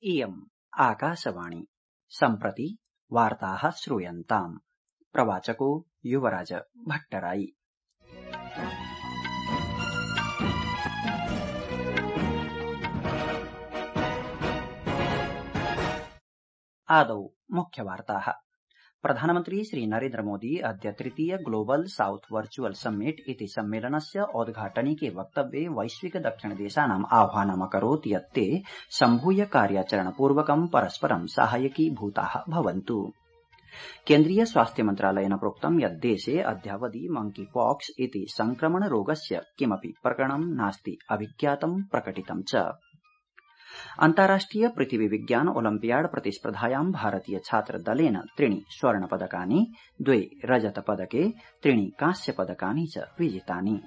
इयम् आकाशवाणी सम्प्रति वार्ताः श्रूयन्ताम्। प्रवाचको युवराज भट्टराई। आदौ मुख्यवार्ताः। प्रधानमन्त्री श्री नरेन्द्र मोदी अद्य तृतीय ग्लोबल साउथ वर्चुअल समिट इति सम्मेलनस्य औद्घाटनिके वक्तव्ये वैश्विक दक्षिणदेशानाम् आह्वानमकरोत् यत् ते सम्भूय कार्याचरणपूर्वकं परस्परं साहाय्यकीभूताः भवन्तु। केन्द्रीय स्वास्थ्य मन्त्रालयेन प्रोक्तं यत् देशे अद्यावधि मंकी पॉक्स इति संक्रमण रोगस्य किमपि प्रकरणं नास्ति अभिज्ञातं प्रकटितं च। अन्ताराष्ट्रिय पृथिवी विज्ञान ओलम्पियाड प्रतिस्पर्धायां भारतीय छात्र दलेन 3 स्वर्णपदकानि 2 रजतपदके 3 कांस्यपदकानि च विजितानि।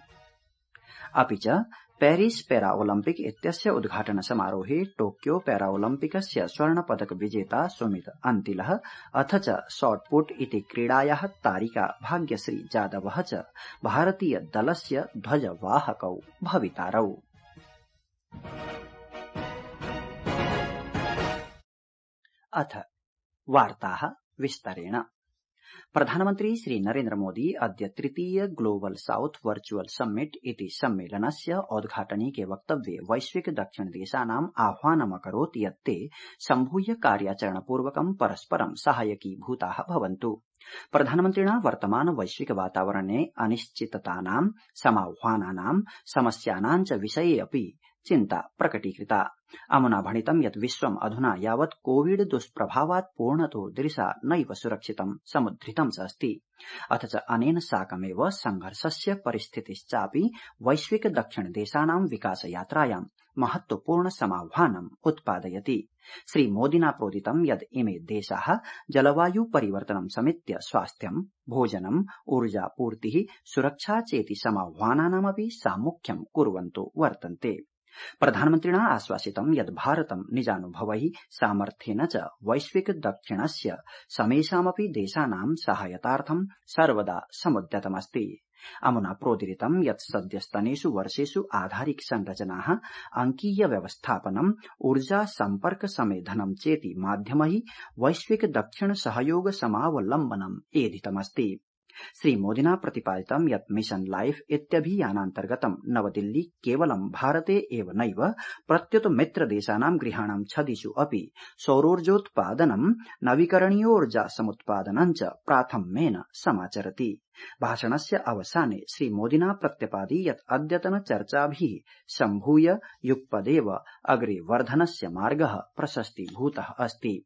अपि च पेरिस पैराओलम्पिक इत्यस्य उद्घाटन समारोहे टोक्यो पैराओलम्पिकस्य स्वर्णपदक विजेता सुमित अन्तिलः अथ च शॉटपुट इति क्रीडायाः तारिका भाग्यश्री जादवः च भारतीय दलस्य ध्वजवाहकौ भवितारौ। अथ वार्ताः विस्तरेण। प्रधानमन्त्री श्री नरेन्द्र मोदी अद्य तृतीय ग्लोबल साउथ वर्चुअल समिट इति सम्मेलनस्य औद्घाटनिके वक्तव्ये वैश्विक दक्षिणदेशानाम् आह्वानमकरोत् यत् ते सम्भूय कार्याचरणपूर्वकं परस्परं साहाय्यकीभूताः भवन्तु। प्रधानमन्त्रिणा वर्तमान वैश्विक वातावरणे अनिश्चिततानां समाह्वानानां समस्यानां च विषये अपि चिन्ता प्रकटीकृता। अमुना भणितं यत् विश्वम् अधुना यावत् कोविड दुष्प्रभावात् पूर्णतो दृशा नैव सुरक्षितं समुद्धृतं च अस्ति। अथ च अनेन साकमेव संघर्षस्य परिस्थितिश्चापि वैश्विक दक्षिणदेशानां विकासयात्रायां महत्वपूर्ण समाह्वानम् उत्पादयति। श्री मोदिना प्रोदितं यत् इमे देशाः जलवायु परिवर्तनं समेत्य स्वास्थ्यं, भोजनम्, ऊर्जापूर्तिः, सुरक्षा चेति समाह्वानानामपि सामुख्यं कुर्वन्तो वर्तन्ते। प्रधानमन्त्रिणा आश्वासितं यत् भारतं निजानुभवैः सामर्थ्येन च वैश्विक दक्षिणस्य समेषामपि देशानां सहायतार्थं सर्वदा समुद्यतमस्ति। अमुना प्रोदीरितं यत् सद्यस्तनेषु वर्षेषु आधारिक संरचनाः, अंकीय व्यवस्थापनम्, ऊर्जा सम्पर्क समेधनं चेति माध्यमैः वैश्विक दक्षिण सहयोग समावलम्बनम् एधितमस्ति। श्री मोदिना प्रतिपादितं यत् मिशन लाइफ इत्यभियानान्तर्गतं नवदिल्ली केवलं भारते एव नैव प्रत्युत मित्रदेशानां गृहाणां छदिषु अपि सौरोर्जोत्पादनं, नवीकरणीयोर्जा समुत्पादनं च प्राथम्येन समाचरति। भाषणस्य अवसाने श्री मोदिना प्रत्यपादि यत् अद्यतन चर्चाभिः सम्भूय युगपदेव अग्रे वर्धनस्य मार्गः प्रशस्तीभूतः अस्ति।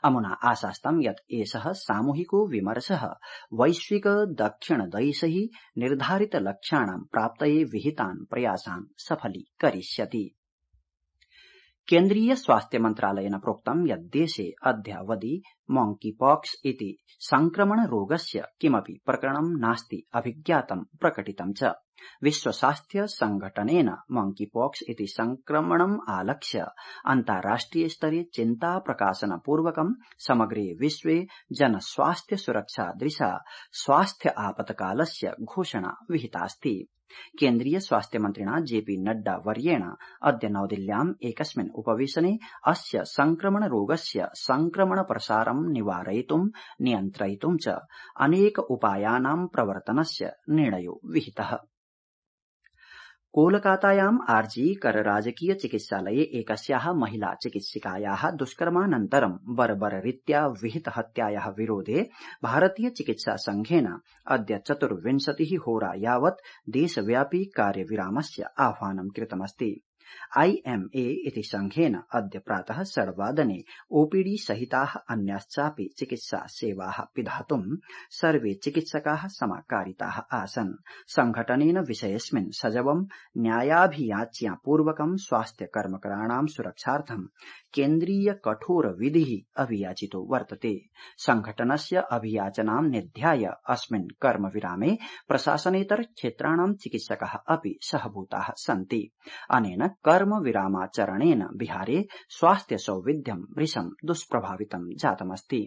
अमुना आशास्तं यत् एषः सामूहिको विमर्शः वैश्विक दक्षिणदैशैः निर्धारित लक्ष्याणां प्राप्तये विहितान् प्रयासान् सफलीकरिष्यति। केन्द्रीय स्वास्थ्य मन्त्रालयेन प्रोक्तं यत् देशे अद्यावधि मंकी पॉक्स इति संक्रमण रोगस्य किमपि प्रकरणं नास्ति अभिज्ञातं प्रकटितं च। विश्व स्वास्थ्य संघटनेन मंकी पॉक्स इति संक्रमणम् आलक्ष्य अन्ताराष्ट्रिय स्तरे चिन्ता प्रकाशनपूर्वकं समग्रे विश्वे जनस्वास्थ्य सुरक्षा दृशा स्वास्थ्य आपत्कालस्य घोषणा विहितास्ति। केन्द्रीय स्वास्थ्य मन्त्रिणा जेपी नड्डा वर्येण अद्य नवदिल्ल्याम् एकस्मिन् उपवेशने अस्य संक्रमण रोगस्य संक्रमण प्रसारं निवारयितुं नियन्त्रयितुं च अनेक उपायानां प्रवर्तनस्य निर्णयो विहितः। कोलकातायाम् आरजी कर राजकीय चिकित्सालये एकस्याः महिला चिकित्सिकायाः दुष्कर्मानन्तरं बर्बररीत्या विहित हत्यायाः विरोधे भारतीय चिकित्सा संघेन अद्य 24 होरा यावत् देशव्यापी कार्यविरामस्य आह्वानं कृतमस्ति। IMA इति संघेन अद्य प्रातः 6 वादने ओपीडी सहिताः अन्याश्चापि चिकित्सा सेवाः पिधातुं सर्वे चिकित्सकाः समाकारिताः आसन्। संघटनेन विषयेऽस्मिन् सजवं न्यायाभियाच्ञापूर्वकं स्वास्थ्य कर्मकराणां सुरक्षार्थं केन्द्रीय कठोर विधिः अभियाचितो वर्तते। संघटनस्य अभियाचनां निध्याय अस्मिन् कर्मविरामे प्रशासनेतर क्षेत्राणां चिकित्सकाः अपि सहभूताः सन्ति। अनेन कर्मविरामाचरणेन बिहारे स्वास्थ्य सौविध्यं भृशं दुष्प्रभावितं जातमस्ति।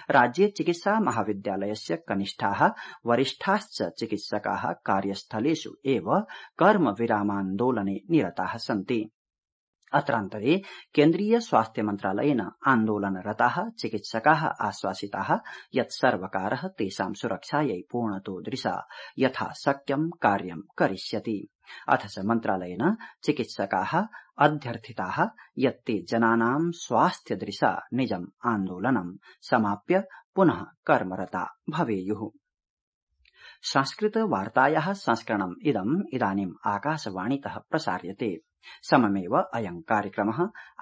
राज्ये चिकित्सा महाविद्यालयस्य कनिष्ठाः वरिष्ठाश्च चिकित्सकाः कार्यस्थलेषु एव कर्मविरामान्दोलने निरताः सन्ति। अत्रान्तरे केन्द्रीय स्वास्थ्य मन्त्रालयेन आन्दोलनरताः चिकित्सकाः आश्वासिताः यत् सर्वकारः तेषां सुरक्षायै पूर्णतोदृशा यथाशक्यं कार्यं करिष्यति। अथ च मन्त्रालयेन चिकित्सकाः अध्यर्थिताः यत् ते जनानां स्वास्थ्यदृशा निजम् आन्दोलनं समाप्य पुनः कर्मरता भवेयुः। संस्कृतवार्तायाः संस्करणम् इदानीम् आकाशवाणीतः प्रसार्यते। सममेव अयं कार्यक्रमः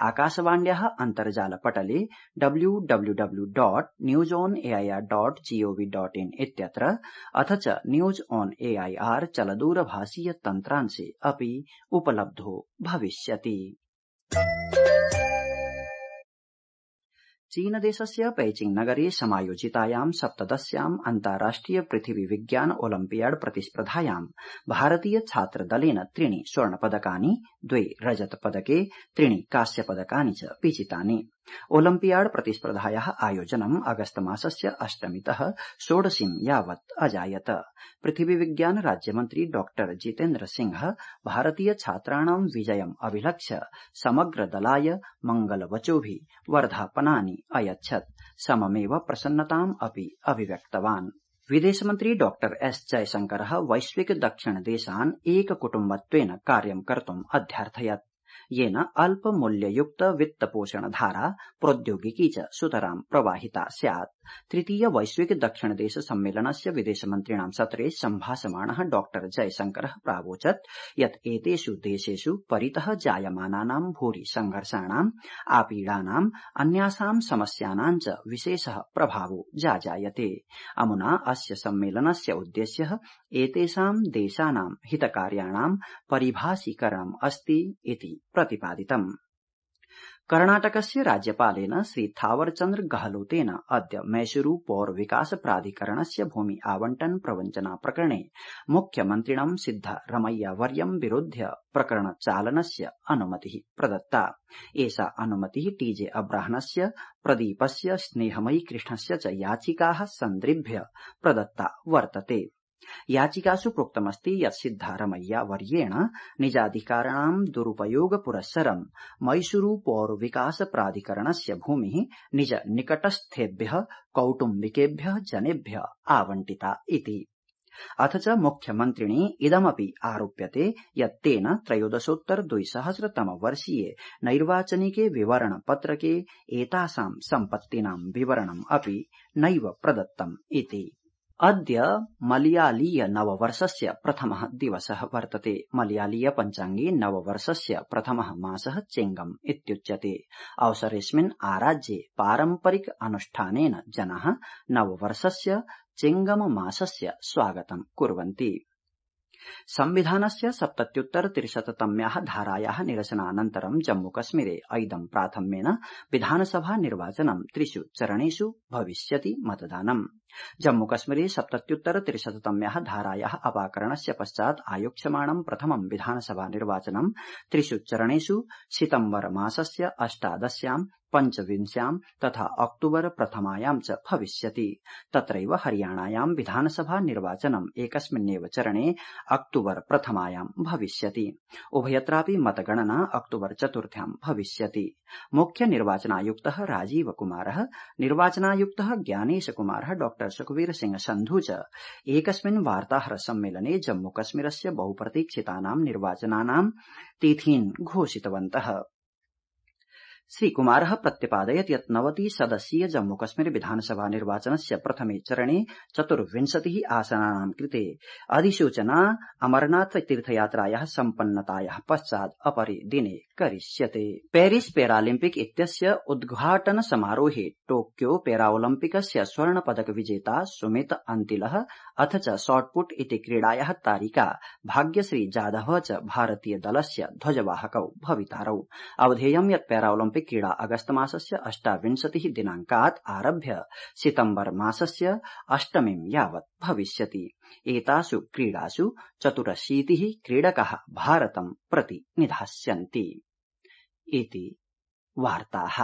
आकाशवाण्याः अन्तर्जालपटले www.newsonair.gov.in इत्यत्र अथ च न्यूज ऑन एआईआर चलदूरभाषीय तन्त्रांशे अपि उपलब्धो भविष्यति। चीनदेशस्य पैचिंग नगरे समायोजितायां 17 अन्ताराष्ट्रिय पृथिवी विज्ञान ओलम्पियाड प्रतिस्पर्धायां भारतीय छात्रदलेन 3 स्वर्णपदकानि 2 रजतपदके 3 कांस्यपदकानि च विजितानि। ओलम्पियाड प्रतिस्पर्धायाः आयोजनम् अगस्त मासस्य 8तः 16 यावत् अजायत। पृथिवी विज्ञान राज्यमन्त्री डॉ जितेन्द्र सिंह भारतीय छात्राणां विजयम् अभिलक्ष्य समग्र दलाय मंगलवचोभिः वर्धापनानि अयच्छत्। सममेव प्रसन्नताम् अपि अभिव्यक्तवान्। विदेशमन्त्री डॉ एस जयशंकरः वैश्विक दक्षिण देशान् एककुटुम्बत्वेन कार्यं कर्तुम् अध्यार्थयत्, येन अल्पमूल्ययुक्त वित्तपोषणधारा प्रौद्योगिकी च सुतरां प्रवाहिता स्यात्। तृतीय वैश्विक दक्षिण देश सम्मेलनस्य विदेशमन्त्रिणां सत्रे सम्भाषमाणः डॉ जयशंकरः प्रावोचत् यत् एतेषु देशेषु परितः जायमानानां भूरि संघर्षाणाम् आपीडानाम् अन्यासां समस्यानां च विशेषः प्रभावो जाजायते। अमुना अस्य सम्मेलनस्य उद्देश्यः एतेषां देशानां हितकार्याणां परिभाषीकरणम् अस्ति इति प्रतिपादितम्। कर्णाटकस्य राज्यपालेन श्री थावरचन्द्र गहलोतेन अद्य मैसूरू पौर विकास प्राधिकरणस्य भूमि आवंटन प्रवञ्चना प्रकरणे मुख्यमन्त्रिणं सिद्धरमैया वर्यं विरुध्य प्रकरणचालनस्य अनुमतिः प्रदत्ता। एषा अनुमतिः टीजे अब्राहनस्य, प्रदीपस्य, स्नेहमयी कृष्णस्य च याचिकाः सन्दृभ्य प्रदत्ता वर्तते। याचिकासु प्रोक्तमस्ति यत् सिद्धारमैया वर्येण निजाधिकाराणां दुरुपयोग पुरस्सरं मैसूरू पौर विकास प्राधिकरणस्य भूमिः निज निकटस्थेभ्यः कौटुम्बिकेभ्यः जनेभ्यः आवंटिता इति। अथ च मुख्यमन्त्रिणे इदमपि आरोप्यते यत् तेन 13,200 नैर्वाचनिके विवरण पत्रके एतासां सम्पत्तीनां विवरणम् अपि नैव प्रदत्तम् इति। अद्य मलयालीय नववर्षस्य प्रथमः दिवसः वर्तते। मलयालीय पञ्चाङ्गे नववर्षस्य प्रथमः मासः चेङ्गम् इत्युच्यते। अवसरेऽस्मिन् आराज्ये पारम्परिक अनुष्ठानेन जनाः नववर्षस्य चेङ्गम मासस्य स्वागतं कुर्वन्ति। संविधानस्य 77-तम्याः धारायाः निरसनानन्तरं जम्मूकश्मीरे ऐदं प्राथम्येन विधानसभा निर्वाचनं 3 चरणेषु भविष्यति मतदानम्। जम्मूकश्मीरे 77-तम्याः धारायाः अपाकरणस्य पश्चात् आयोक्ष्यमाणं प्रथमं विधानसभा निर्वाचनं 3 चरणेषु सितम्बर मासस्य 18, 25 तथा अक्टूबर प्रथमायां च भविष्यति। तत्रैव हरियाणायां विधानसभा निर्वाचनं एकस्मिन्नेव चरणे अक्टूबर प्रथमायां भविष्यति। उभयत्रापि मतगणना अक्टूबर 4 भविष्यति। मुख्य निर्वाचनायुक्तः राजीव कुमारः, निर्वाचनायुक्तः ज्ञानेश कुमारः, डॉ सुखबीर सिंह संधू च एकस्मिन् वार्ताहर सम्मेलने जम्मूकश्मीरस्य बहुप्रतीक्षितानां निर्वाचनानां तिथीन् घोषितवन्तः। श्रीकुमारः प्रत्यपादयत् यत् 90 सदस्यीय जम्मूकश्मीर विधानसभा निर्वाचनस्य प्रथमे चरणे 24 आसनानां कृते अधिसूचना अमरनाथ तीर्थयात्रायाः सम्पन्नतायाः पश्चात् अपरे दिने करिष्यते। पेरिस पैरालिम्पिक इत्यस्य उद्घाटन समारोहे टोक्यो पैराओलम्पिकस्य स्वर्ण पदक विजेता सुमित अंतिलः अथ च शॉटपुट इति क्रीडायाः तारिका भाग्यश्री जाधव च भारतीय दलस्य ध्वजवाहकौ भवितारौ। अवधेयं यत् पैराओलम्पिक क्रीडा अगस्त मासस्य 28 दिनाङ्कात् आरभ्य सितम्बर मासस्य 8 यावत् भविष्यति। एतासु क्रीडासु 84 क्रीडकाः भारतं प्रति निधास्यन्ति इति वार्ताः।